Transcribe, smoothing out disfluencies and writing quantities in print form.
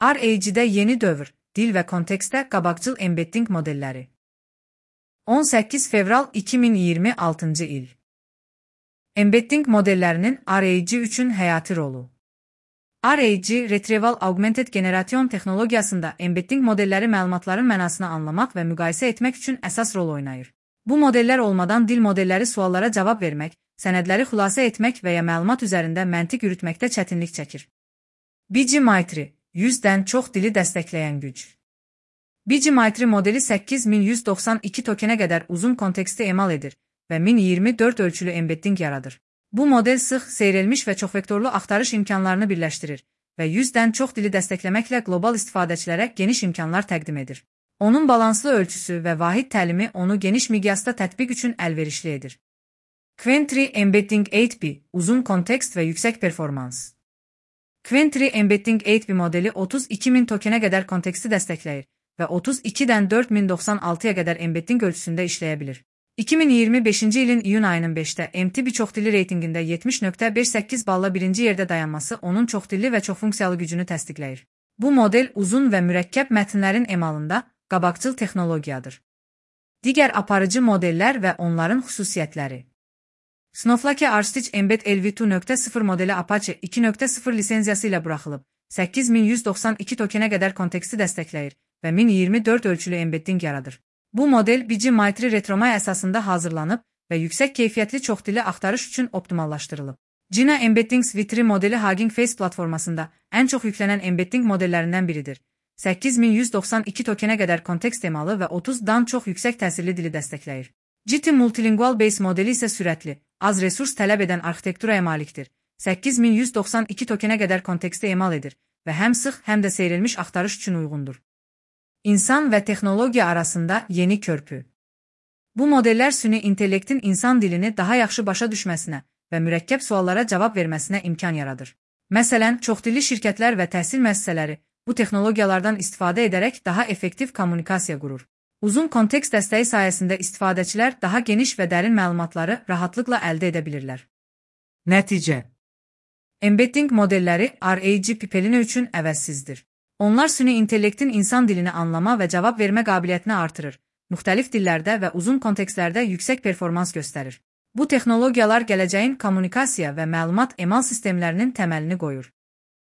RAG-də yeni dövr, dil və kontekstdə qabaqcıl embedding modelləri. 18 fevral 2026-cı il. Embedding modellərinin RAG üçün həyati rolu. RAG, Retrieval Augmented Generation texnologiyasında embedding modelləri məlumatların mənasını anlamaq və müqayisə etmək üçün əsas rol oynayır. Bu modellər olmadan dil modelləri suallara cavab vermək, sənədləri xülasə etmək və ya məlumat üzərində məntiq yürütməkdə çətinlik çəkir. BGMaitri, 100-dən çox dili dəstəkləyən güc. BGMaitri modeli 8192 tokenə qədər uzun konteksti emal edir və 1024 ölçülü embedding yaradır. Bu model sıx, seyrelmiş və çoxvektorlu axtarış imkanlarını birləşdirir və 100-dən çox dili dəstəkləməklə qlobal istifadəçilərə geniş imkanlar təqdim edir. Onun balanslı ölçüsü və vahid təlimi onu geniş miqyasda tətbiq üçün əlverişli edir. Quentry Embedding 8B, uzun kontekst və yüksək performans. Quentry Embedding 8B modeli 32.000 tokenə qədər konteksti dəstəkləyir və 32-dən 4096-ya qədər embedding ölçüsündə işləyə bilir. 2025-ci ilin iyun ayının 5-də MTB çoxdilli reytinqində 70.58 balla birinci yerdə dayanması onun çoxdilli və çoxfunksiyalı gücünü təsdiqləyir. Bu model uzun və mürəkkəb mətnlərin emalında qabaqcıl texnologiyadır. Digər aparıcı modellər və onların xüsusiyyətləri. Snowflake Arstich Embed LV2.0 modeli Apache 2.0 lisenziyası ilə buraxılıb, 8192 tokenə qədər konteksti dəstəkləyir və 1024 ölçülü embedding yaradır. Bu model BGMaitri Retromay əsasında hazırlanıb və yüksək keyfiyyətli çoxdilli axtarış üçün optimallaşdırılıb. Jina Embeddings V3 modeli Hugging Face platformasında ən çox yüklənən embedding modellərindən biridir. 8192 tokenə qədər kontekst emalı və 30-dan çox yüksək təsirli dili dəstəkləyir. GT Multilingual Base modeli isə sürətli, az resurs tələb edən arxitekturaya malikdir. 8192 tokenə qədər konteksti emal edir və həm sıx, həm də seyrelmiş axtarış üçün uyğundur. İnsan və texnologiya arasında yeni körpü. Bu modellər süni intellektin insan dilini daha yaxşı başa düşməsinə və mürəkkəb suallara cavab verməsinə imkan yaradır. Məsələn, çoxdilli şirkətlər və təhsil müəssisələri bu texnologiyalardan istifadə edərək daha effektiv kommunikasiya qurur. Uzun kontekst dəstəyi sayəsində istifadəçilər daha geniş və dərin məlumatları rahatlıqla əldə edə bilirlər. Nəticə. Embedding modelləri RAG pipelini üçün əvəzsizdir. Onlar süni intellektin insan dilini anlama və cavab vermə qabiliyyətini artırır, müxtəlif dillərdə və uzun kontekstlərdə yüksək performans göstərir. Bu texnologiyalar gələcəyin kommunikasiya və məlumat emal sistemlərinin təməlini qoyur.